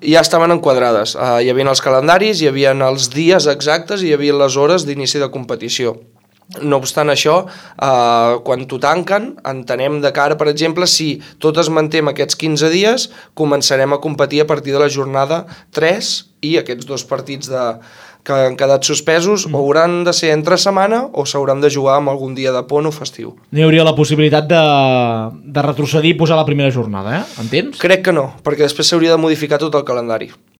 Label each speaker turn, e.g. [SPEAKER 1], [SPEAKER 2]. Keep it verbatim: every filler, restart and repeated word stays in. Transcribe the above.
[SPEAKER 1] Ja estaven enquadrades. Uh, hi havia els calendaris, hi havia els dies exactes i hi havia les hores d'inici de competició. No obstant això, eh, quan t'ho tanquen, entenem de cara, per exemple, si tot es manté en aquests quinze dies, començarem a competir a partir de la jornada tres i aquests dos partits de, que han quedat suspesos mm. o hauran de ser entre setmana o s'hauran de jugar amb algun dia de pont o festiu.
[SPEAKER 2] No hi hauria la possibilitat de, de retrocedir i posar la primera jornada, eh? Entens?
[SPEAKER 1] Crec que no, perquè després s'hauria de modificar tot el calendari.